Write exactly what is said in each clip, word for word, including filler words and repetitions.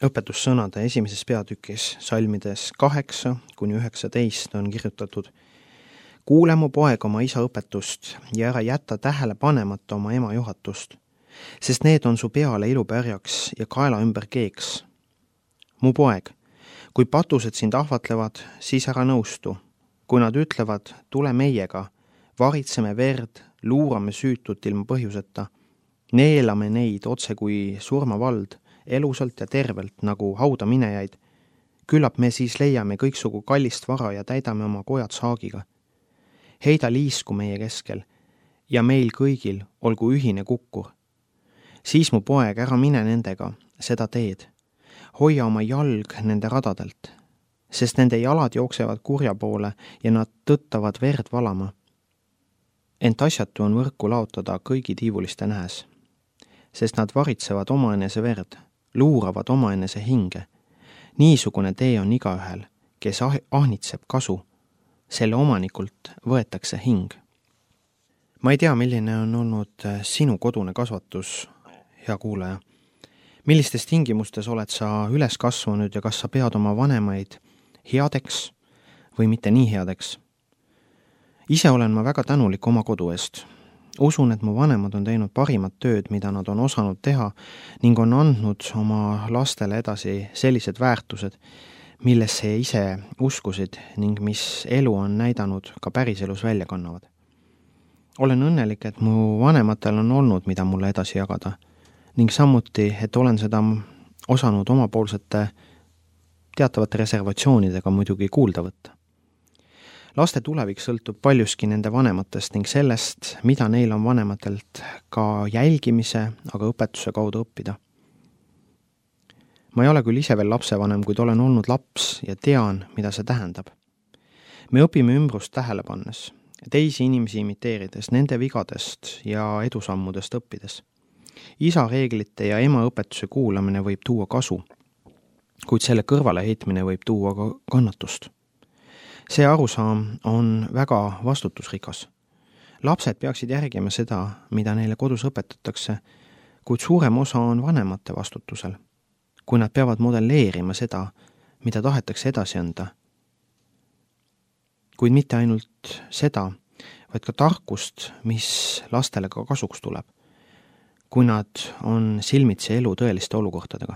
õpetussõnade esimeses peatükis salmides kaheksa kuni üheksateist on kirjutatud: kuule mu poeg oma isa õpetust ja ära jäta tähele panemata oma ema juhatust, sest need on su peale ilupärjaks ja kaela ümber keeks. Mu poeg, kui patused sind ahvatlevad, siis ära nõustu. Kui nad ütlevad, tule meiega, varitseme verd, luurame süütut ilma põhjuseta, neelame neid otse kui surmavald, elusalt ja tervelt nagu hauda minejaid, küllap me siis leiame kõiksugu kallist vara ja täidame oma kojad saagiga. Heida liisku meie keskel ja meil kõigil olgu ühine kukkur. Siis mu poeg, ära mine nendega, seda teed. Hoia oma jalg nende radadelt, sest nende jalad jooksevad kurja poole ja nad tõttavad verd valama. Ent asjatu on võrku laotada kõigi tiivuliste nähes, sest nad varitsevad omaenese verd, luuravad omaenese hinge. Niisugune tee on igaühel, kes ah- ahnitseb kasu. Selle omanikult võetakse hing. Ma ei tea, milline on olnud sinu kodune kasvatus, hea kuulaja. Millistes tingimustes oled sa üles kasvanud ja kas sa pead oma vanemaid headeks või mitte nii headeks? Ise olen ma väga tänulik oma kodu eest. Usun, et mu vanemad on teinud parimat tööd, mida nad on osanud teha ning on andnud oma lastele edasi sellised väärtused, millesse ise uskusid ning mis elu on näidanud ka päriselus välja kannavad. Olen õnnelik, et mu vanematel on olnud, mida mulle edasi jagada ning samuti, et olen seda osanud omapoolsete teatavate reservatsioonidega muidugi kuulda võtta. Laste tulevik sõltub paljuski nende vanematest ning sellest, mida neil on vanematelt ka jälgimise, aga õpetuse kaudu õppida. Ma ei ole küll ise veel lapsevanem, kuid olen olnud laps ja tean, mida see tähendab. Me õpime ümbrust tähele pannes, teisi inimesi imiteerides, nende vigadest ja edusammudest õppides. Isa reeglite ja ema õpetuse kuulamine võib tuua kasu, kuid selle kõrvale heitmine võib tuua ka kannatust. See arusaam on väga vastutusrikas. Lapsed peaksid järgima seda, mida neile kodus õpetatakse, kuid suurem osa on vanemate vastutusel, kui nad peavad modelleerima seda, mida tahetakse edasi anda. Kuid mitte ainult seda, vaid ka tarkust, mis lastele ka kasuks tuleb, kui nad on silmitsi elu tõeliste olukortadega.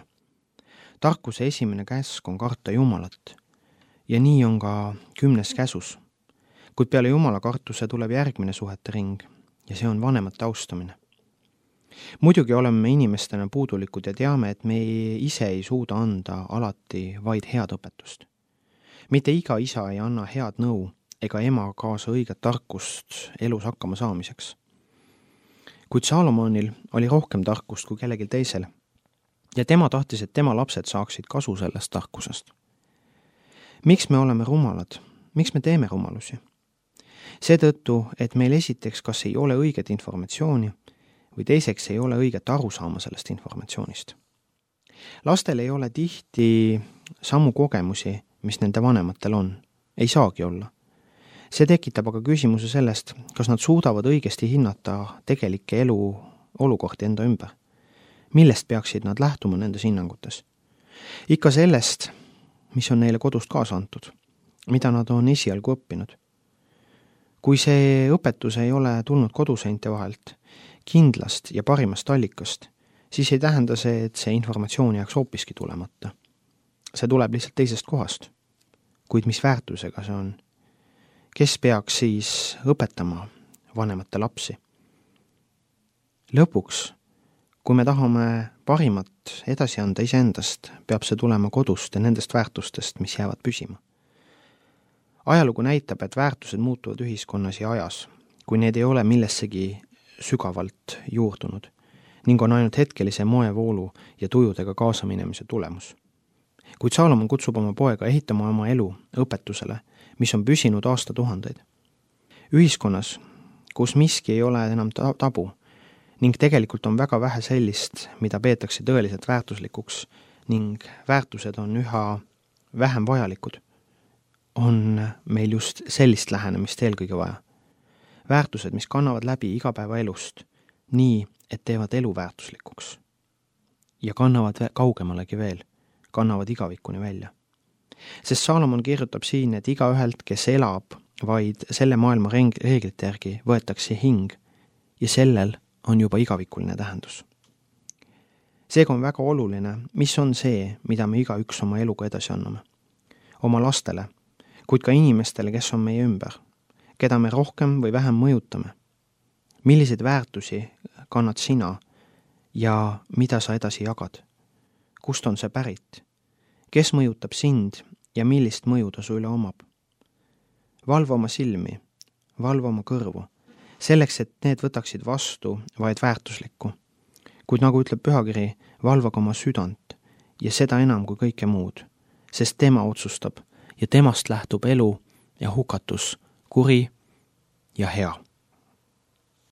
Tarkuse esimene käsk on karta Jumalat ja nii on ka kümnes käsus, kuid peale Jumala kartuse tuleb järgmine suhete ring ja see on vanemate austamine. Muidugi oleme inimestena puudulikud ja teame, et me ise ei suuda anda alati vaid head õpetust. Mitte iga isa ei anna head nõu ega ema kaasa õiget tarkust elus hakkama saamiseks. Kuid Saalomonil oli rohkem tarkust kui kellelgi teisel ja tema tahtis, et tema lapsed saaksid kasu sellest tarkusest. Miks me oleme rumalad? Miks me teeme rumalusi? Seetõttu, et meil esiteks kas ei ole õiget informatsiooni või teiseks ei ole õiget aru saama sellest informatsioonist. Lastel ei ole tihti samu kogemusi, mis nende vanematel on. Ei saagi olla. See tekitab aga küsimuse sellest, kas nad suudavad õigesti hinnata tegelikke elu olukordi enda ümber. Millest peaksid nad lähtuma nendes hinnangutes? Ikka sellest, mis on neile kodust kaasa antud, mida nad on esialgu õppinud. Kui see õpetus ei ole tulnud koduseinte vahelt, kindlast ja parimast allikast, siis ei tähenda see, et see informatsioon jääks hoopiski tulemata. See tuleb lihtsalt teisest kohast. Kuid mis väärtusega see on? Kes peaks siis õpetama vanemate lapsi? Lõpuks, kui me tahame parimat edasi anda iseendast, peab see tulema kodust ja nendest väärtustest, mis jäävad püsima. Ajalugu näitab, et väärtused muutuvad ühiskonnas ja ajas, kui need ei ole millessegi sügavalt juurdunud ning on ainult hetkelise moevoolu ja tujudega kaasaminemise tulemus. Kuid Saalomon kutsub oma poega ehitama oma elu õpetusele, mis on püsinud aastatuhandeid. Ühiskonnas, kus miski ei ole enam tabu ning tegelikult on väga vähe sellist, mida peetakse tõeliselt väärtuslikuks ning väärtused on üha vähem vajalikud, on meil just sellist lähenemist eelkõige vaja. Väärtused, mis kannavad läbi igapäevaelust, nii, et teevad elu väärtuslikuks ja kannavad kaugemalegi veel, kannavad igavikuni välja. Sest Saalomon kirjutab siin, et igaühelt, kes elab vaid selle maailma reeglite järgi, võetakse hing ja sellel on juba igavikuline tähendus. Seega on väga oluline, mis on see, mida me igaüks oma eluga edasi anname. Oma lastele, kuid ka inimestele, kes on meie ümber, keda me rohkem või vähem mõjutame. Milliseid väärtusi kannad sina ja mida sa edasi jagad? Kust on see pärit? Kes mõjutab sind ja millist mõju ta su üle omab? Valva oma silmi, valva oma kõrvu, selleks, et need võtaksid vastu vaid väärtuslikku. Kuid nagu ütleb pühakiri, valvaga oma südant ja seda enam kui kõike muud, sest tema otsustab ja temast lähtub elu ja hukatus, kuri ja hea.